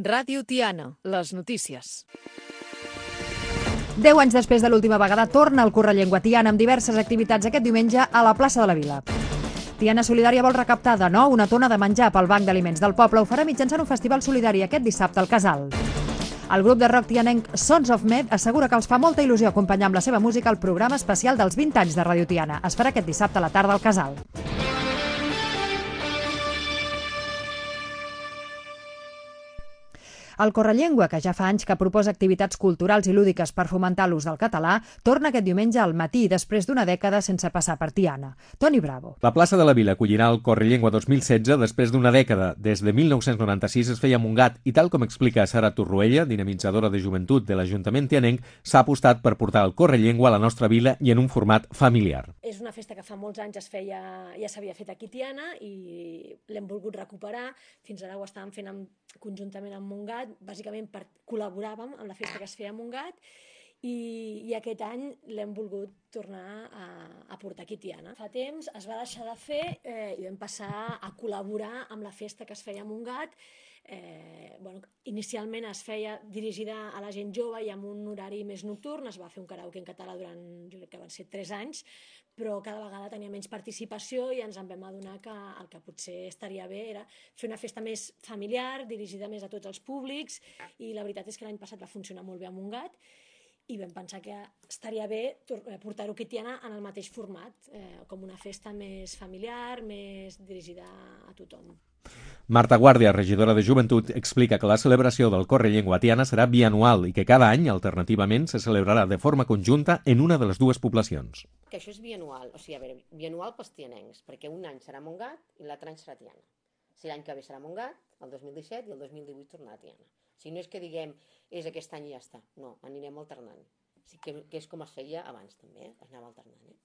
Ràdio Tiana, les notícies. 10 anys després de l'última vegada torna el Correllengua Tiana amb diverses activitats aquest diumenge a la plaça de la Vila. Tiana Solidària vol recaptar de nou una tona de menjar pel Banc d'Aliments del Poble. Ho farà mitjançant un festival solidari aquest dissabte al Casal. El grup de rock tianenc Sons of Med assegura que els fa molta il·lusió acompanyar amb la seva música el programa especial dels 20 anys de Ràdio Tiana. Es farà aquest dissabte a la tarda al Casal. El Correllengua, que ja fa anys que proposa activitats culturals i lúdiques per fomentar l'ús del català, torna aquest diumenge al matí després d'una dècada sense passar per Tiana. Toni Bravo. La plaça de la Vila acollirà el Correllengua 2016 després d'una dècada. Des de 1996 es feia a Montgat i, tal com explica Sara Torroella, dinamitzadora de joventut de l'Ajuntament tianenc, s'ha apostat per portar el Correllengua a la nostra vila i en un format familiar. És una festa que fa molts anys ja s'havia fet aquí a Tiana i l'hem volgut recuperar. Fins ara ho estàvem fent conjuntament amb Montgat, bàsicament col·laboràvem amb la festa que es feia a Montgat i aquest any l'hem volgut tornar a portar aquí a Tiana. Fa temps es va deixar de fer i vam passar a col·laborar amb la festa que es feia a Montgat. Inicialment es feia dirigida a la gent jove i amb un horari més nocturn. Es va fer un karaoke en català durant, jo crec que van ser 3 anys, però cada vegada tenia menys participació i ens en vam adonar que el que potser estaria bé era fer una festa més familiar, dirigida més a tots els públics, i la veritat és que l'any passat va funcionar molt bé a Montgat i vam pensar que estaria bé portar-ho aquí a Tiana en el mateix format, com una festa més familiar, més dirigida a tothom. Marta Guàrdia, regidora de Joventut, explica que la celebració del Correllengua a Tiana serà bianual i que cada any, alternativament, se celebrarà de forma conjunta en una de les dues poblacions. Que això és bianual, o sigui, bianual pels tianencs, perquè un any serà Montgat i l'altre any serà Tiana. Si l'any que ve serà Montgat, el 2017 i el 2018 tornarà a Tiana. O sigui, no és que diguem, és aquest any i ja està. No, anirem alternant. O sigui, que és com es feia abans també, anava alternant.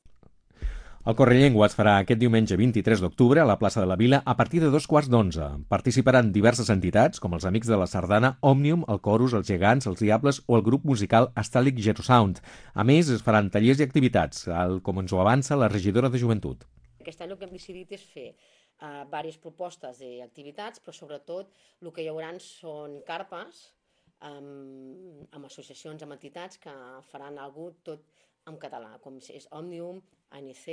El Correllengua es farà aquest diumenge 23 d'octubre a la plaça de la Vila a partir de 11:15. Participaran diverses entitats, com els Amics de la Sardana, Òmnium, el Corus, els Gegants, els Diables o el grup musical Astàlic Gerosound. A més, es faran tallers i activitats, com ens ho avança la regidora de Joventut. Aquest any el que hem decidit és fer diverses propostes d'activitats, però sobretot el que hi haurà són carpes amb associacions, amb entitats que faran alguna cosa tot en català, com és Òmnium, ANC,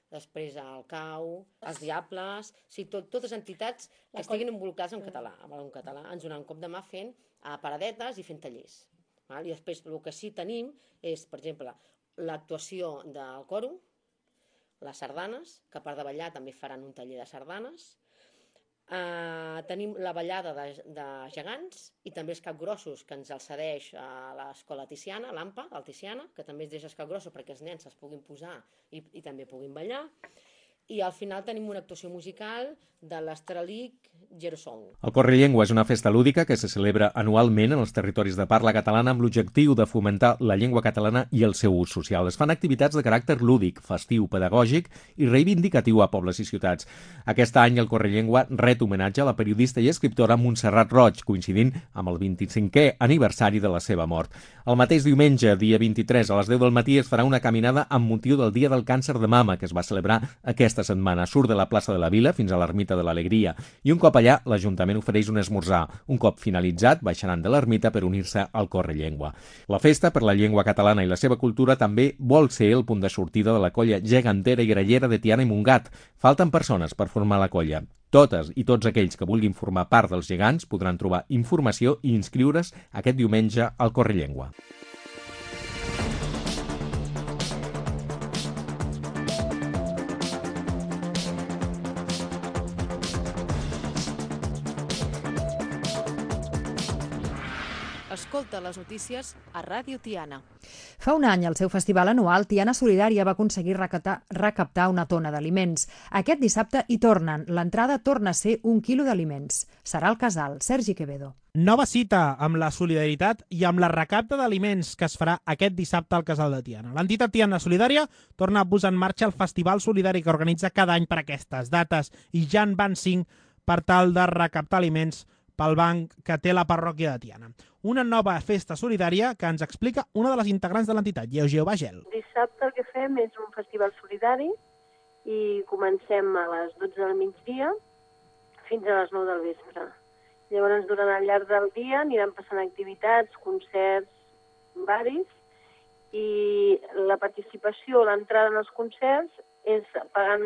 després el CAU, els Diables, o sigui, totes entitats que estiguin involucrades en català. En català ens donen un cop de mà fent paradetes i fent tallers. I després el que sí tenim és, per exemple, l'actuació del coro, les sardanes, que a part de ballar també faran un taller de sardanes. Tenim la ballada de gegants i també els capgrossos, que ens el cedeix a l'escola Tiziana, l'AMPA, el Tiziana, que també es deixa els capgrossos perquè els nens es puguin posar i també puguin ballar. I al final tenim una actuació musical de l'Astàlic Gerosound. El Correllengua és una festa lúdica que se celebra anualment en els territoris de parla catalana amb l'objectiu de fomentar la llengua catalana i el seu ús social. Es fan activitats de caràcter lúdic, festiu, pedagògic i reivindicatiu a pobles i ciutats. Aquest any el Correllengua ret homenatge a la periodista i escriptora Montserrat Roig, coincidint amb el 25è aniversari de la seva mort. El mateix diumenge, dia 23, a les 10 del matí, es farà una caminada amb motiu del Dia del Càncer de Mama, que es va celebrar aquesta setmana. Surt de la plaça de la Vila fins a l'Ermita de l'Alegria i un cop allà l'Ajuntament ofereix un esmorzar. Un cop finalitzat baixaran de l'ermita per unir-se al Correllengua. La festa per la llengua catalana i la seva cultura també vol ser el punt de sortida de la colla gegantera i grallera de Tiana i Montgat. Falten persones per formar la colla. Totes i tots aquells que vulguin formar part dels gegants podran trobar informació i inscriure's aquest diumenge al Correllengua. Escolta les notícies a Ràdio Tiana. Fa un any, al seu festival anual, Tiana Solidària va aconseguir recaptar una tona d'aliments. Aquest dissabte hi tornen. L'entrada torna a ser 1 quilo d'aliments. Serà al Casal. Sergi Quevedo. Nova cita amb la solidaritat i amb la recapta d'aliments que es farà aquest dissabte al Casal de Tiana. L'entitat Tiana Solidària torna a posar en marxa el festival solidari que organitza cada any per aquestes dates i ja en van 5 per tal de recaptar aliments pel banc que té la parròquia de Tiana. Una nova festa solidària que ens explica una de les integrants de l'entitat, Lleugeu Bagel. Dissabte el que fem és un festival solidari i comencem a les 12 del migdia fins a les 9 del vespre. Llavors, durant el llarg del dia aniran passant activitats, concerts, varis, i la participació, l'entrada en els concerts, és pagant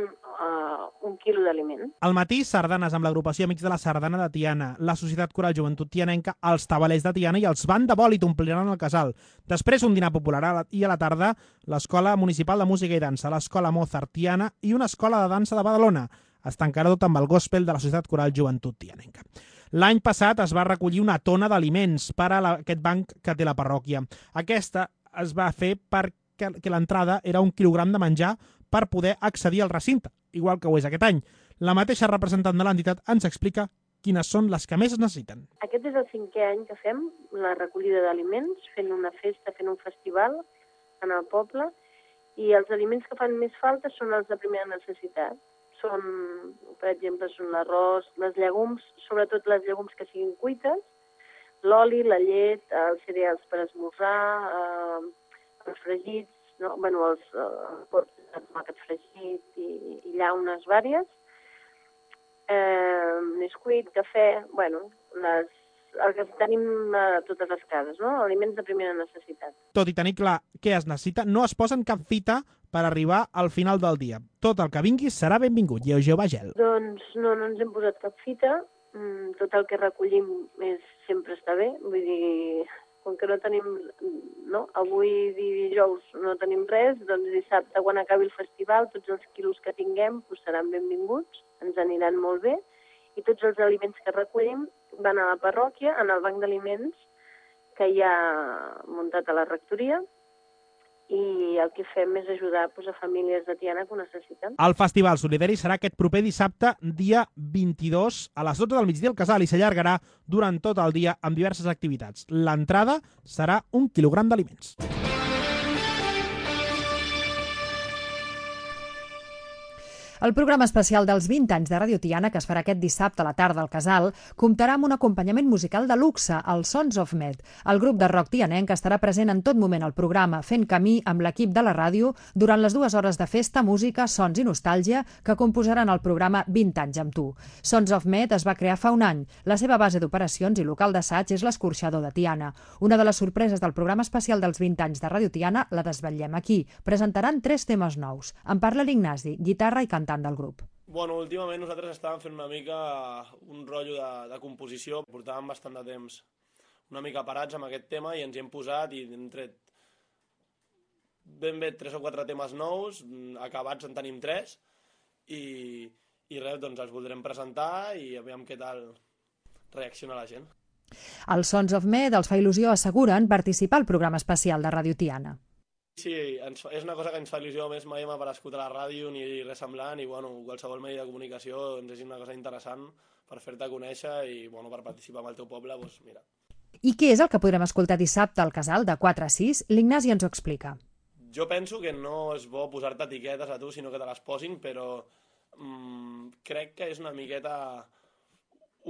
1 quilo d'aliment. Al matí, sardanes amb l'agrupació Amics de la Sardana de Tiana, la Societat Coral Joventut Tianenca, els Tabalers de Tiana i els Band de Bòlit ompliran el casal. Després, un dinar popular i a la tarda, l'Escola Municipal de Música i Dansa, l'Escola Mozart Tiana i una escola de dansa de Badalona. Es tancarà tot amb el gospel de la Societat Coral Joventut Tianenca. L'any passat es va recollir una tona d'aliments per a aquest banc que té la parròquia. Aquesta es va fer perquè l'entrada era 1 quilogram de menjar per poder accedir al recinte, igual que ho és aquest any. La mateixa representant de l'entitat ens explica quines són les que més es necessiten. Aquest és el 5è any que fem la recollida d'aliments, fent una festa, fent un festival en el poble, i els aliments que fan més falta són els de primera necessitat. Són, per exemple, són l'arròs, les llegums, sobretot les llegums que siguin cuites, l'oli, la llet, els cereals per esmorzar, els fregits, no? Bueno, els pots de tomàquet fregit i llaunes vàries, Nesquik, cafè, bueno, el que tenim a totes les cases, no? Aliments de primera necessitat. Tot i tenir clar què es necessita, no es posen cap fita per arribar al final del dia. Tot el que vingui serà benvingut. Lleugeu Bagel. Doncs no ens hem posat cap fita. Tot el que recollim sempre està bé. Vull dir, com que no tenim, no? Avui dijous no tenim res, doncs dissabte, quan acabi el festival, tots els quilos que tinguem seran benvinguts, ens aniran molt bé, i tots els aliments que recollim van a la parròquia, en el banc d'aliments que hi ha muntat a la rectoria, i el que fem és ajudar a famílies de Tiana que ho necessiten. El Festival Solidari serà aquest proper dissabte, dia 22, a les 12 del migdia al casal, i s'allargarà durant tot el dia amb diverses activitats. L'entrada serà 1 quilogram d'aliments. El programa especial dels 20 anys de Ràdio Tiana, que es farà aquest dissabte a la tarda al Casal, comptarà amb un acompanyament musical de luxe, el Sons of Med. El grup de rock tianenc estarà present en tot moment al programa, fent camí amb l'equip de la ràdio durant les 2 hores de festa, música, sons i nostàlgia que composaran el programa 20 anys amb tu. Sons of Med es va crear fa un any. La seva base d'operacions i local d'assaig és l'Escorxador de Tiana. Una de les sorpreses del programa especial dels 20 anys de Ràdio Tiana la desvetllem aquí. Presentaran 3 temes nous. En parla l'Ignasi, guitarra i cantant del grup. Bueno, últimament nosaltres estàvem fent una mica un rotllo de composició. Portàvem bastant de temps una mica parats amb aquest tema i ens hi hem posat i hem tret ben bé 3 o 4 temes nous, acabats en tenim 3 i res, doncs els voldrem presentar i aviam què tal reacciona la gent. Els Sons of Med els fa il·lusió, asseguren, participar al programa especial de Ràdio Tiana. Sí, és una cosa que ens fa il·lusió, més mai hem aparegut a la ràdio ni res semblant i bueno, qualsevol medi de comunicació ens és una cosa interessant per fer-te conèixer i bueno, per participar en el teu poble, doncs mira. I què és el que podrem escoltar dissabte al Casal de 4 a 6? L'Ignasi ens ho explica. Jo penso que no és bo posar-te etiquetes a tu, sinó que te les posin, però crec que és una miqueta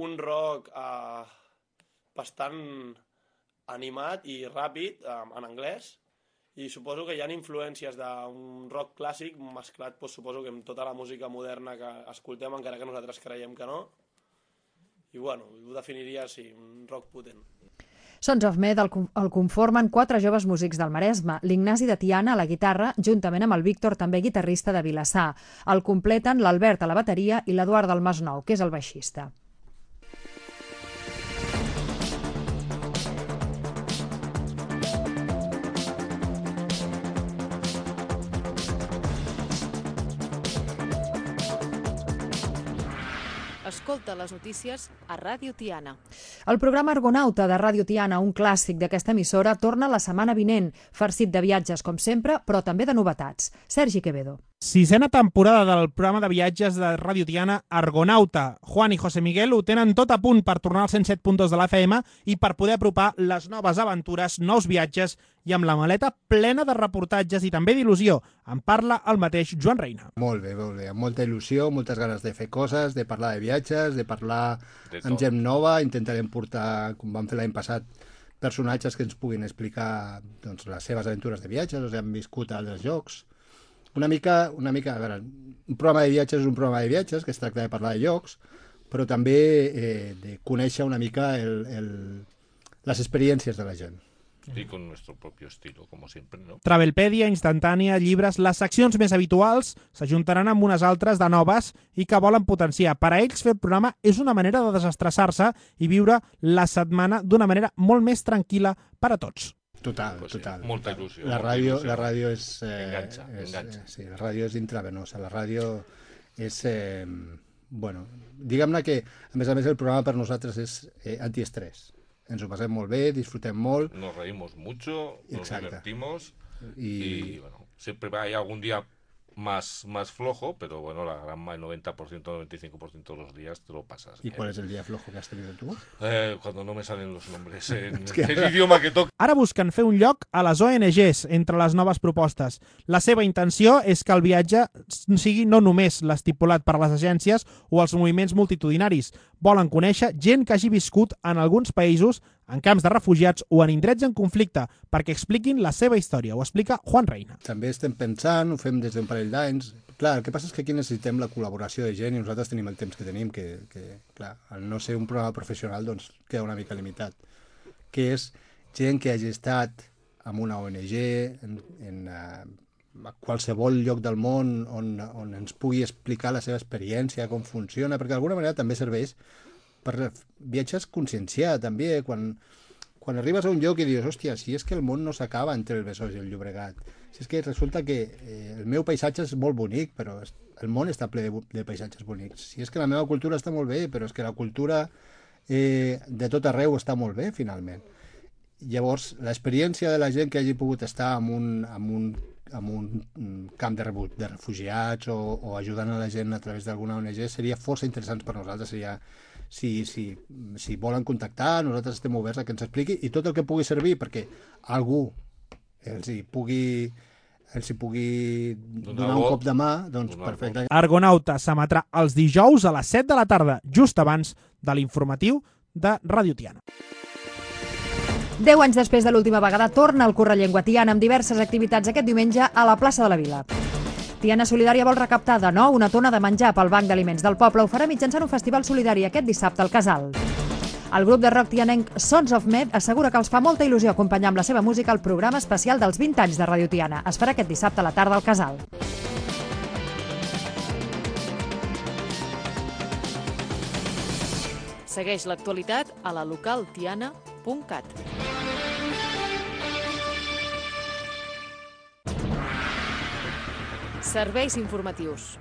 un rock bastant animat i ràpid en anglès. I suposo que hi ha influències d'un rock clàssic mesclat, doncs, suposo que amb tota la música moderna que escoltem, encara que nosaltres creiem que no. I bueno, ho definiria així, un rock potent. Sons of Med el conformen 4 joves músics del Maresme, l'Ignasi de Tiana a la guitarra, juntament amb el Víctor, també guitarrista de Vilassar. El completen l'Albert a la bateria i l'Eduard del Masnou, que és el baixista. Escolta les notícies a Ràdio Tiana. El programa Argonauta de Ràdio Tiana, un clàssic d'aquesta emissora, torna la setmana vinent, farcit de viatges com sempre, però també de novetats. Sergi Quevedo. 6a temporada del programa de viatges de Ràdio Tiana Argonauta. Juan i José Miguel ho tenen tot a punt per tornar als 107.2 de l'FM i per poder apropar les noves aventures, nous viatges i amb la maleta plena de reportatges i també d'il·lusió. En parla el mateix Joan Reina. Molt bé, amb molta il·lusió, moltes ganes de fer coses, de parlar de viatges, de parlar amb gent nova. Intentarem portar, com vam fer l'any passat, personatges que ens puguin explicar doncs, les seves aventures de viatges, o sigui, han viscut a altres llocs. Una mica, a veure, un programa de viatges és un programa de viatges que es tracta de parlar de llocs, però també de conèixer una mica les experiències de la gent. Y con nuestro propio estilo, como siempre, ¿no? Travelpèdia, instantània, llibres... Les seccions més habituals s'ajuntaran amb unes altres de noves i que volen potenciar. Per a ells, fer el programa és una manera de desestressar-se i viure la setmana d'una manera molt més tranquil·la per a tots. Total, Pues total. sí, molta il·lusió. La ràdio és... Enganxa. Sí, la ràdio és intravenosa. La ràdio és... bueno, diguem-ne que, a més, el programa per nosaltres és antiestrès. Ens ho passem molt bé, disfrutem molt. Nos reímos mucho, nos divertimos y bueno, siempre hay algún día más flojo, pero bueno, el 90%, 95% de los días te lo pasas. ¿Y cuál es el día flojo que has tenido tú? Cuando no me salen los nombres en el idioma que toca. Ara busquen fer un lloc a les ONGs entre les noves propostes. La seva intenció és que el viatge sigui no només l'estipulat per les agències o els moviments multitudinaris. Volen conèixer gent que hagi viscut en alguns països, en camps de refugiats o en indrets en conflicte, perquè expliquin la seva història. Ho explica Juan Reina. També estem pensant, ho fem des d'un parell d'anys. Clar, el que passa és que aquí necessitem la col·laboració de gent i nosaltres tenim el temps que tenim, que clar, al no ser un programa professional, doncs queda una mica limitat. Que és gent que hagi estat en una ONG, a qualsevol lloc del món on ens pugui explicar la seva experiència, com funciona, perquè d'alguna manera també serveix per viatges conscienciar també, quan arribes a un lloc i dius, hòstia, si és que el món no s'acaba entre el Besòs i el Llobregat, si és que resulta que el meu paisatge és molt bonic, però el món està ple de paisatges bonics, si és que la meva cultura està molt bé, però és que la cultura de tot arreu està molt bé, finalment. Llavors, l'experiència de la gent que hagi pogut estar en un camp de refugiats o ajudant a la gent a través d'alguna ONG seria força interessant per nosaltres. Seria, si volen contactar, nosaltres estem oberts a que ens expliqui i tot el que pugui servir perquè algú els hi pugui donar un cop de mà, doncs perfecte. Argonauta s'emetrà els dijous a les 7 de la tarda, just abans de l'informatiu de Ràdio Tiana. 10 anys després de l'última vegada torna el Correllengua Tiana amb diverses activitats aquest diumenge a la plaça de la Vila. Tiana Solidària vol recaptar de nou una tona de menjar pel Banc d'Aliments del Poble. Ho farà mitjançant un festival solidari aquest dissabte al Casal. El grup de rock tianenc Sons of Med assegura que els fa molta il·lusió acompanyar amb la seva música el programa especial dels 20 anys de Ràdio Tiana. Es farà aquest dissabte a la tarda al Casal. Segueix l'actualitat a la localtiana.cat. Serveis informatius.